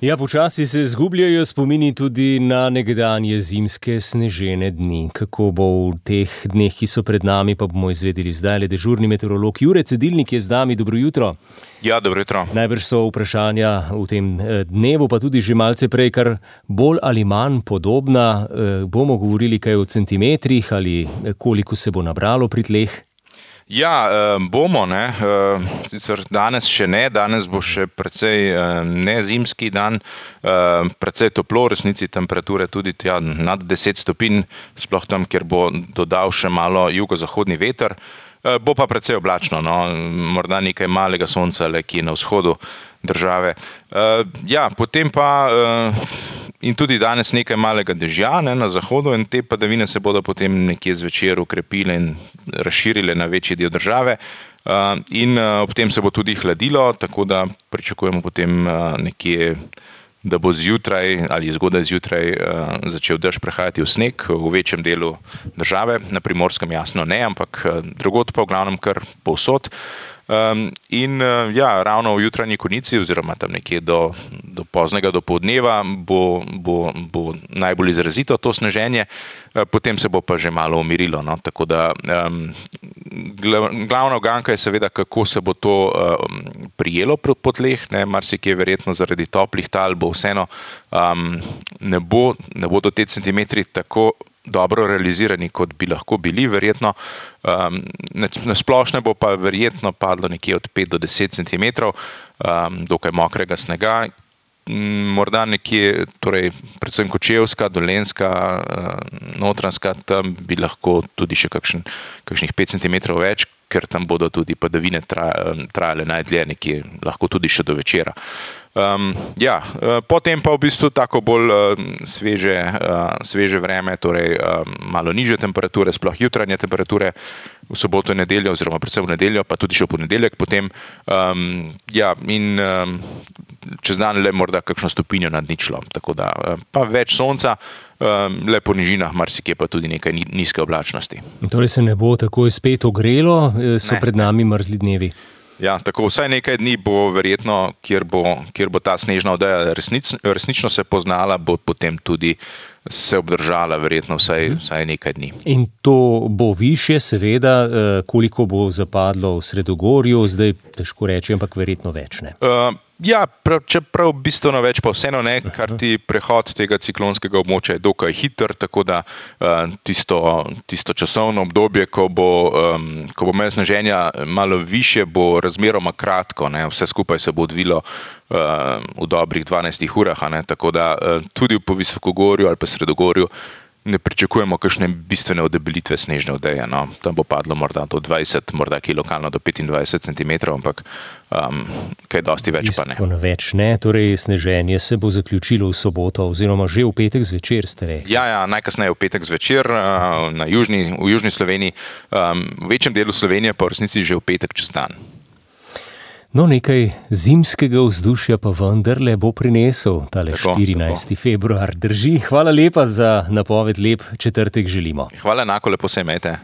Ja, počasi se zgubljajo spomini tudi na nekdanje zimske snežene dni. Kako bo v teh dneh, ki so pred nami, pa bomo izvedeli zdaj. Le dežurni meteorolog Jure Cedilnik je z nami. Dobro jutro. Ja, dobro jutro. Najbrž so vprašanja v tem dnevu, pa tudi že malce prej, kar bolj ali manj podobna. Bomo govorili kaj o centimetrih ali koliko se bo nabralo pri tleh? Ja, bomo, ne. Sicer danes še ne, danes bo še precej nezimski dan, precej toplo, v resnici temperature tudi nad 10 stopinj, sploh tam, kjer bo dodal še malo jugozahodni veter. Bo pa precej oblačno, no, morda nekaj malega sonca le kje na vzhodu države. Ja, potem pa in tudi danes nekaj malega dežja, ne, na zahodu, in te padavine se bodo potem nekje zvečer ukrepile in razširile na večji del države. In ob tem se bo tudi hladilo, tako da pričakujemo potem nekje, da bo zjutraj ali zgodaj zjutraj začel dež prehajati v sneg v večjem delu države, na Primorskem jasno ne, ampak drugod pa v glavnem kar povsod. In ja, ravno v jutranji konici oziroma tam nekje do poznega dopoldneva bo najbolj izrazito to sneženje, potem se bo pa že malo umirilo, no, tako da glavna uganka je seveda, kako se bo to prijelo po tleh, ne, marsikje verjetno zaradi toplih tal bo vseeno ne bodo te centimetri tako dobro realizirani, kot bi lahko bili, verjetno. Na splošno bo pa verjetno padlo nekje od 5 do 10 centimetrov, dokaj mokrega snega. Morda nekje, torej predvsem Kočevska, Dolenjska, Notranjska, tam bi lahko tudi še kakšnih 5 centimetrov več, ker tam bodo tudi padavine trajale najdlje, nekje lahko tudi še do večera. Ja, potem pa v bistvu tako bolj sveže vreme, torej malo nižje temperature, sploh jutranje temperature v soboto in nedeljo, oziroma predvsem v nedeljo, pa tudi še v ponedeljek potem. Ja, in čez dan le morda kakšno stopinjo nad ničlo, tako da pa več sonca, le po nižinah, marsikje pa tudi nekaj nizke oblačnosti. Torej se ne bo takoj spet ogrelo, so pred nami mrzli dnevi. Ja, tako vsaj nekaj dni bo verjetno, kjer bo ta snežna odeja resnično se poznala, bo potem tudi se obdržala verjetno vsaj nekaj dni. In to bo višje, seveda, koliko bo zapadlo v Sredogorju, zdaj težko reči, ampak verjetno več, ne? Ja, čeprav bistveno več pa vseeno ne, kar ti prehod tega ciklonskega območja je dokaj hiter, tako da tisto časovno obdobje, ko bo imel sneženja malo višje, bo razmeroma kratko, ne, vse skupaj se bo odvilo v dobrih 12 urah, ne, tako da tudi po Visokogorju ali pa Sredogorju ne pričakujemo kakšne bistvene odebelitve snežne odeje, no. Tam bo padlo morda do 20, morda kje lokalno do 25 centimetrov, ampak kaj dosti več pa ne. Bistveno več ne, torej sneženje se bo zaključilo v soboto oziroma že v petek zvečer, ste rekli. Ja, najkasneje v petek zvečer v južni Sloveniji, v večjem delu Slovenije pa v resnici že v petek čez dan. No, nekaj zimskega vzdušja pa vendarle bo prinesel tale 14. februar. Drži. Hvala lepa za napoved, lep četrtek želimo. Hvala, enako, lepo se imejte.